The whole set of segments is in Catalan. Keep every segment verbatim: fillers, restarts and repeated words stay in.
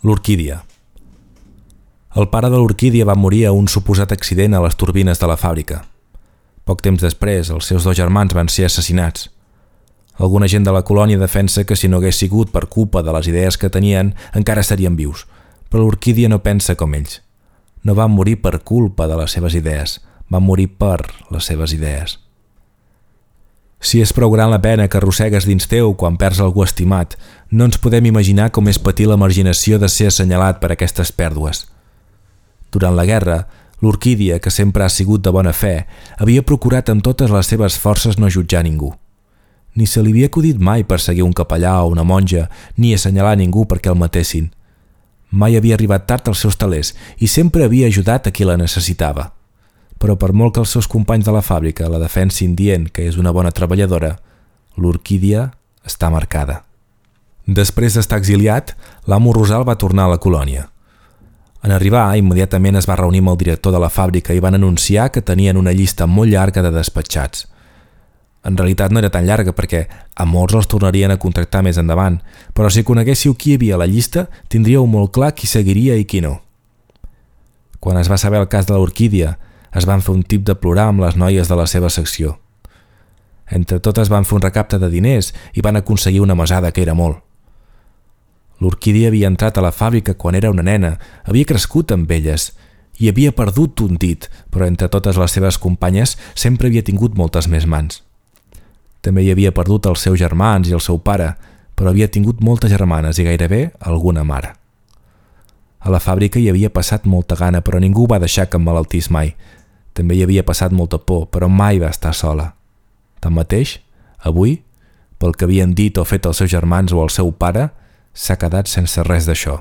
L'Orquídia. El pare de l'Orquídia va morir a un suposat accident a les turbines de la fàbrica. Poc temps després, els seus dos germans van ser assassinats. Alguna gent de la colònia defensa que si no hagués sigut per culpa de les idees que tenien, encara serien vius, però l'Orquídia no pensa com ells. No van morir per culpa de les seves idees, van morir per les seves idees. Si és prou gran la pena que arrossegues dins teu quan perds algú estimat, no ens podem imaginar com és patir la marginació de ser assenyalat per aquestes pèrdues. Durant la guerra, l'Orquídia, que sempre ha sigut de bona fe, havia procurat amb totes les seves forces no jutjar ningú. Ni se li havia acudit mai perseguir un capellà o una monja, ni assenyalar ningú perquè el matessin. Mai havia arribat tard als seus talers i sempre havia ajudat a qui la necessitava. Però per molt que els seus companys de la fàbrica la defensin dient que és una bona treballadora, l'Orquídia està marcada. Després d'estar exiliat, l'amo Rosal va tornar a la colònia. En arribar, immediatament es va reunir amb el director de la fàbrica i van anunciar que tenien una llista molt llarga de despatxats. En realitat no era tan llarga perquè a molts els tornarien a contractar més endavant, però si coneguéssiu qui hi havia a la llista, tindríeu molt clar qui seguiria i qui no. Quan es va saber el cas de l'Orquídia, es van fer un tip de plorar amb les noies de la seva secció. Entre totes van fer un recapte de diners i van aconseguir una mesada que era molt. L'Orquídia havia entrat a la fàbrica quan era una nena, havia crescut amb elles i havia perdut un dit, però entre totes les seves companyes sempre havia tingut moltes més mans. També hi havia perdut els seus germans i el seu pare, però havia tingut moltes germanes i gairebé alguna mare. A la fàbrica hi havia passat molta gana, però ningú va deixar que em malaltís mai. També hi havia passat molta por, però mai va estar sola. Tanmateix, avui, pel que havien dit o fet els seus germans o el seu pare, s'ha quedat sense res d'això.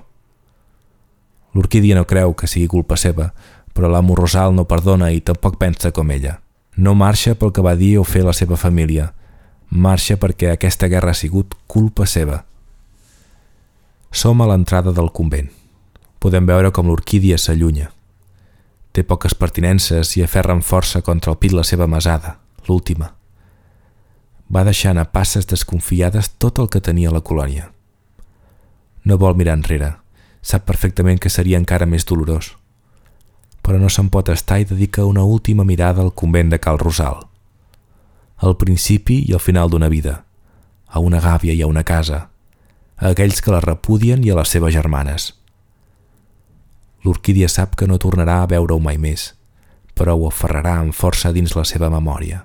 L'Orquídia no creu que sigui culpa seva, però l'amo Rosal no perdona i tampoc pensa com ella. No marxa pel que va dir o fer la seva família. Marxa perquè aquesta guerra ha sigut culpa seva. Som a l'entrada del convent. Podem veure com l'Orquídia s'allunya. Té poques pertinences i aferra amb força contra el pit la seva mesada, l'última. Va deixant a passes desconfiades tot el que tenia la colònia. No vol mirar enrere, sap perfectament que seria encara més dolorós. Però no se'n pot estar i dedica una última mirada al convent de Cal Rosal. Al principi i al final d'una vida, a una gàbia i a una casa, a aquells que la repudien i a les seves germanes. L'Orquídia sap que no tornarà a veure-ho mai més, però ho aferrarà amb força dins la seva memòria.